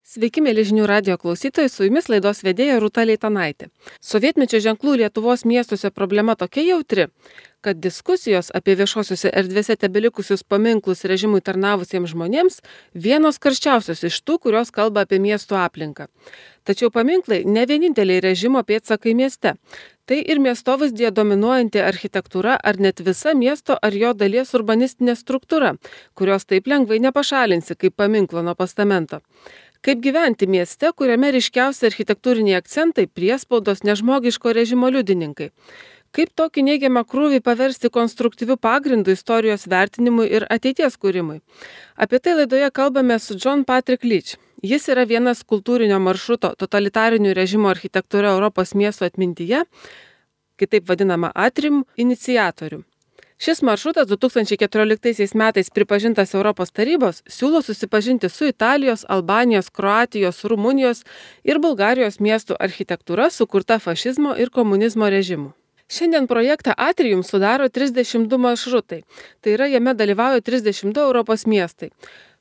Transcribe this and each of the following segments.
Sveiki, mėly žinių radijo klausytojai, su jumis laidos vedėja Rūta Leitanaitė. Sovietmečio ženklų Lietuvos miestuose problema tokia jautri, kad diskusijos apie viešosiuose erdvėse tebelikusius paminklus režimui tarnavusiems žmonėms vienos karščiausios iš tų, kurios kalba apie miestų aplinką. Tačiau paminklai ne vieninteliai režimo pėdsakai mieste. Tai ir miestovaizdėje dominuojanti architektūra ar net visa miesto ar jo dalies urbanistinė struktūra, kurios taip lengvai nepašalinsi kaip paminklo nuo postamento. Kaip gyventi mieste, kuriame ryškiausi architektūriniai akcentai priespaudos nežmogiško režimo liudininkai? Kaip tokį neigiamą krūvį paversti konstruktyviu pagrindu istorijos vertinimui ir ateities kūrimui? Apie tai laidoje kalbame su John Patrick Leach. Jis yra vienas kultūrinio maršruto totalitarinių režimo architektūra Europos miesto atmintyje, kitaip vadinama Atrium, iniciatorių. Šis maršrutas 2014 metais pripažintas Europos tarybos siūlo susipažinti su Italijos, Albanijos, Kroatijos, Rumunijos ir Bulgarijos miestų architektūra sukurta fašizmo ir komunizmo režimų. Šiandien projektą Atrium sudaro 32 maršrutai, tai yra jame dalyvauja 32 Europos miestai.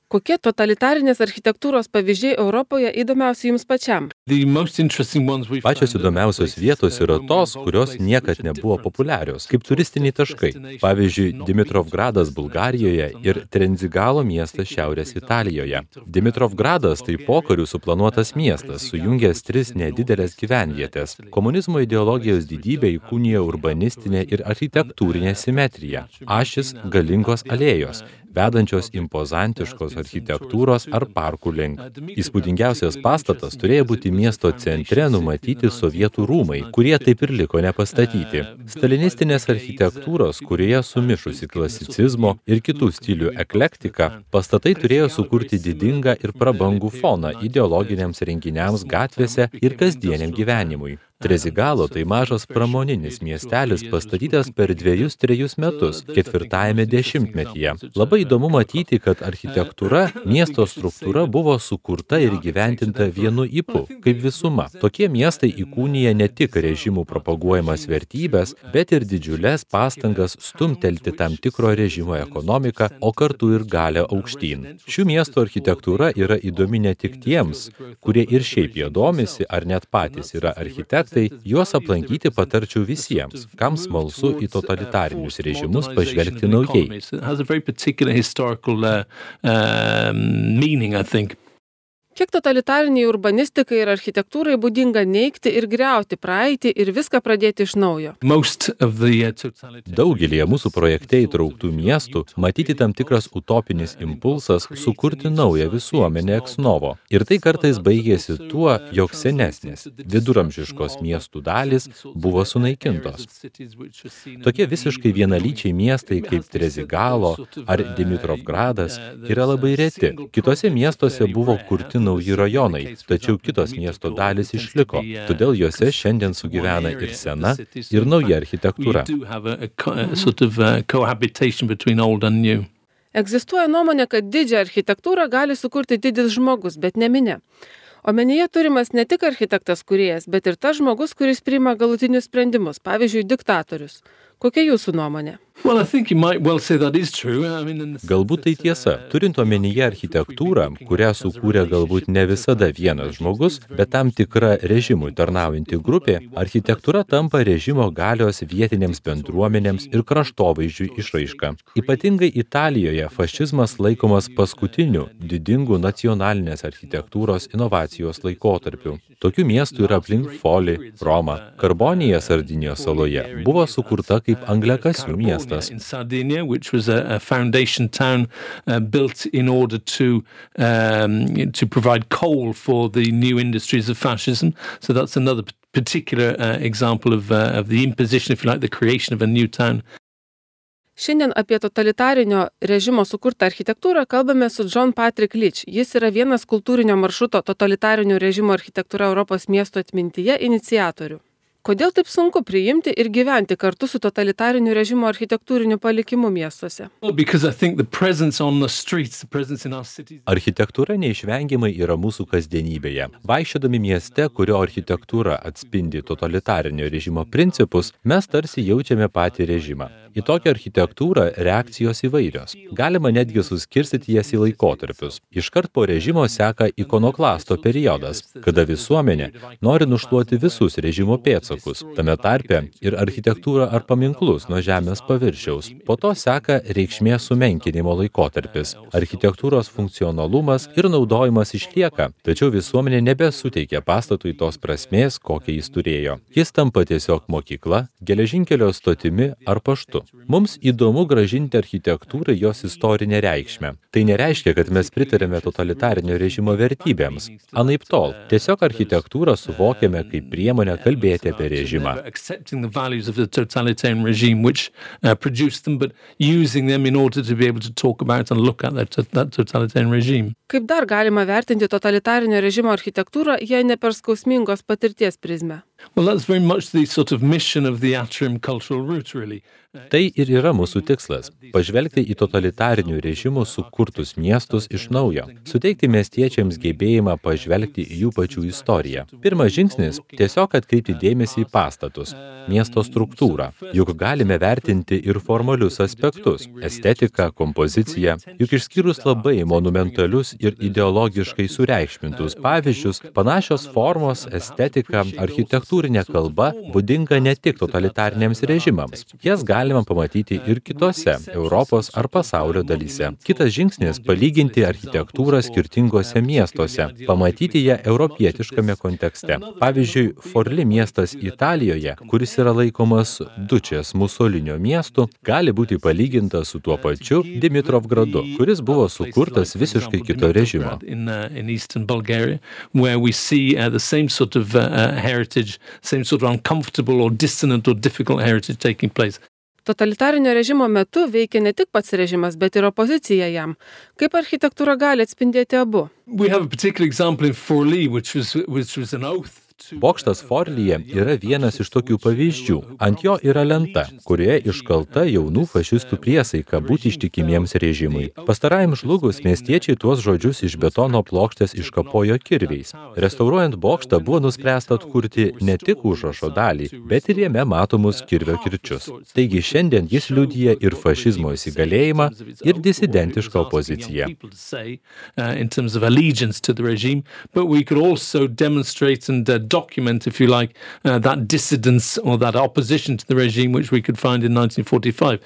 Kokie totalitarinės architektūros pavyzdžiai Europoje įdomiausi jums pačiam? Pačios įdomiausios vietos yra tos, kurios niekad nebuvo populiarios, kaip turistiniai taškai. Pavyzdžiui, Dimitrovgradas Bulgarijoje ir Trenzigalo miestas Šiaurės Italijoje. Dimitrovgradas tai pokariu suplanuotas miestas, sujungęs 3 nedidelės gyvenvietės. Komunizmo ideologijos didybė įkūnija urbanistinę ir architektūrinę simetriją. Ašis galingos alėjos, vedančios impozantiškos architektūros ar parkų link. Įspūdingiausias pastatas turėjo būti miesto centre numatyti sovietų rūmai, kurie taip ir liko nepastatyti. Stalinistinės architektūros, kurioje sumišusi klasicizmo ir kitų stilių eklektika, pastatai turėjo sukurti didingą ir prabangų foną ideologiniams renginiams gatvėse ir kasdieniam gyvenimui. Trezigalo tai mažas pramoninis miestelis pastatytas per 2-3 metus, 4-ame dešimtmetyje. Labai įdomu matyti, kad architektūra, miesto struktūra buvo sukurta ir įgyvendinta vienu ypu, kaip visuma. Tokie miestai įkūnija ne tik režimų propaguojamas vertybės, bet ir didžiulės pastangas stumtelti tam tikro režimo ekonomiką, o kartu ir galią aukštyn. Šių miestų architektūra yra įdomi ne tik tiems, kurie ir šiaip jie domisi, ar net patys yra architektai, juos aplankyti patarčiau visiems, kam smalsu į totalitarinius režimus pažvelgti naujai. Kiek totalitariniai urbanistikai ir architektūrai būdinga neigti ir griauti praeitį ir viską pradėti iš naujo? Daugelėje mūsų projekte įtrauktų miestų matyti tam tikras utopinis impulsas sukurti naują visuomenę ex novo. Ir tai kartais baigėsi tuo, jog senesnės, viduramžiškos miestų dalys buvo sunaikintos. Tokie visiškai vienalyčiai miestai kaip Trezigalo ar Dimitrovgradas yra labai reti. Kitose miestuose buvo kurti nauji rajonai, tačiau kitos miesto dalys išliko, todėl juose šiandien sugyvena ir sena, ir nauja architektūra. Egzistuoja nuomonė, kad didžią architektūrą gali sukurti didis žmogus, bet ne minia. Omenyje turimas ne tik architektas kūrėjas, bet ir tas žmogus, kuris priima galutinius sprendimus, pavyzdžiui, diktatorius. Kokia jūsų nuomonė? Galbūt tai tiesa. Turint omenyje architektūrą, kurią sukūrė galbūt ne visada vienas žmogus, bet tam tikra režimui tarnaujanti grupė, architektūra tampa režimo galios vietinėms bendruomenėms ir kraštovaizdžiui išraiška. Ypatingai Italijoje fašizmas laikomas paskutiniu didingu nacionalinės architektūros inovacijos laikotarpiu. Tokių miestų yra aplink Foli, Roma. Karbonija Sardinijos saloje buvo sukurta kaip angliakasių miestas. In Sardinia, which was a foundation town built in order to provide coal for the new industries of fascism. So that's another particular example of the imposition, if you like, the creation of a new town. Šiandien apie totalitarinio režimo sukurtą architektūrą kalbame su John Patrick Leach. Jis yra vienas kultūrinio maršruto totalitarinio režimo architektūra Europos miesto atmintyje iniciatorių. Kodėl taip sunku priimti ir gyventi kartu su totalitariniu režimo architektūriniu palikimu miestuose? Architektūra neišvengiamai yra mūsų kasdienybėje. Vaikščiodami mieste, kurio architektūra atspindi totalitarinio režimo principus, mes tarsi jaučiame patį režimą. Į tokią architektūrą reakcijos įvairios. Galima netgi suskirstyti jas į laikotarpius. Iškart po režimo seka ikonoklasto periodas, kada visuomenė nori nušluoti visus režimo pėdsakus, tame tarpe ir architektūrą ar paminklus nuo žemės paviršiaus. Po to seka reikšmės sumenkinimo laikotarpis. Architektūros funkcionalumas ir naudojimas išlieka, tačiau visuomenė nebesuteikia pastatui tos prasmės, kokią jis turėjo. Jis tampa tiesiog mokykla, geležinkelio stotimi ar paštu. Mums įdomu grąžinti architektūrai jos istorinę reikšmę. Tai nereiškia, kad mes pritarėme totalitarinio režimo vertybėms. Anaiptol, tiesiog architektūrą suvokiame kaip priemonę kalbėti apie režimą. Kaip dar galima vertinti totalitarinio režimo architektūrą, jei ne per skausmingos patirties prizmę? Tai ir yra mūsų tikslas – pažvelgti į totalitarinių režimų sukurtus miestus iš naujo, suteikti miestiečiams gebėjimą pažvelgti į jų pačių istoriją. Pirmas žingsnis – tiesiog atkreipti dėmesį į pastatus, miesto struktūrą. Juk galime vertinti ir formalius aspektus – estetiką, kompoziciją. Juk išskyrus labai monumentalius ir ideologiškai sureikšmintus pavyzdžius, panašios formos, estetika, architektūrinė kalba būdinga ne tik totalitariniams režimams. Jas galima pamatyti ir kitose Europos ar pasaulio dalyse. Kitas žingsnis – palyginti architektūrą skirtingose miestuose, pamatyti ją europietiškame kontekste. Pavyzdžiui, Forli miestas Italijoje, kuris yra laikomas Dučės Musolinio miestu, gali būti palygintas su tuo pačiu Dimitrovgradu, kuris buvo sukurtas visiškai kito režimo. Totalitarinio režimo metu veikia ne tik pats režimas, bet ir opozicija jam. Kaip architektūra gali atspindėti abu? Bokštas Forlyje yra vienas iš tokių pavyzdžių. Ant jo yra lenta, kurioje iškalta jaunų fašistų priesaika būti ištikimiems režimui. Pastarajam žlugus miestiečiai tuos žodžius iš betono plokštės iškapojo kirviais. Restauruojant bokštą buvo nuspręsta atkurti ne tik užrašo dalį, bet ir jame matomus kirvio kirčius. Taigi šiandien jis liudija ir fašizmo įsigalėjimą, ir disidentišką opoziciją. Document, if you like, that dissidence or that opposition to the regime which we could find in 1945.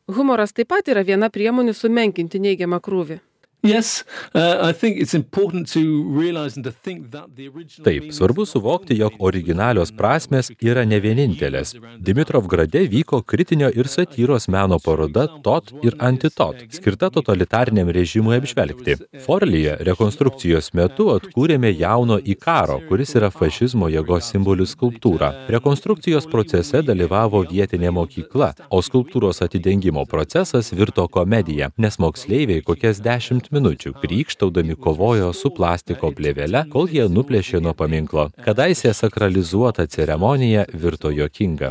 Humoras taip pat yra viena priemonių sumenkinti neigiamą krūvį. Yes, I think it's important to realize and to think that the original... Taip, svarbu suvokti, jog originalios prasmės yra ne vienintelės. Dimitrovgrade vyko kritinio ir satyros meno paroda Tot ir Antitot, skirta totalitariniam režimui apžvelgti. Forlyje rekonstrukcijos metu atkūrėme jauno Ikaro, kuris yra fašizmo jėgos simbolių skulptūrą. Rekonstrukcijos procese dalyvavo vietinė mokykla, o skulptūros atidengimo procesas virto komedija, nes moksleiviai kokias 10 minučių krykštaudami kovojo su plastiko plėvele, kol jie nuplėšė nuo paminklo. Kadaise sakralizuota ceremonija virto juokinga.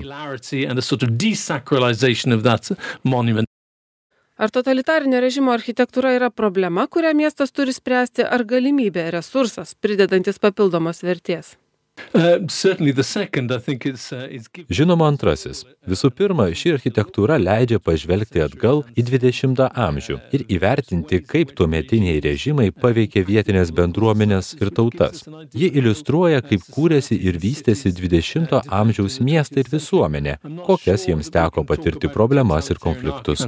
Ar totalitarinio režimo architektūra yra problema, kurią miestas turi spręsti, ar galimybė, resursas, pridedantis papildomos vertės? Žinoma, antrasis. Visų pirma, ši architektūra leidžia pažvelgti atgal į 20 amžių ir įvertinti, kaip tuometiniai režimai paveikė vietinės bendruomenės ir tautas. Ji iliustruoja, kaip kūrėsi ir vystėsi 20 amžiaus miestai ir visuomenė, kokias jiems teko patirti problemas ir konfliktus.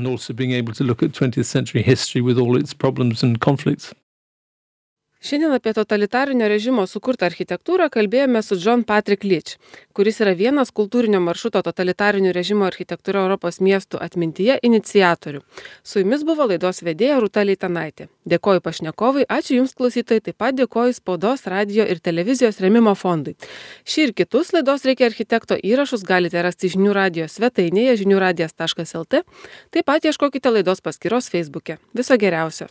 Šiandien apie totalitarinio režimo sukurtą architektūrą kalbėjome su John Patrick Leach, kuris yra vienas kultūrinio maršruto totalitarinio režimo architektūra Europos miestų atmintyje iniciatorių. Su jumis buvo laidos vedėja Rūta Leitanaitė. Dėkoju pašnekovui, ačiū Jums klausytojai, taip pat dėkoju Spaudos, radijo ir televizijos rėmimo fondui. Šį ir kitus laidos Reikia architekto įrašus galite rasti žinių radijo svetainėje žiniųradijas.lt, taip pat ieškokite laidos paskyros Facebook'e. Viso geriausio.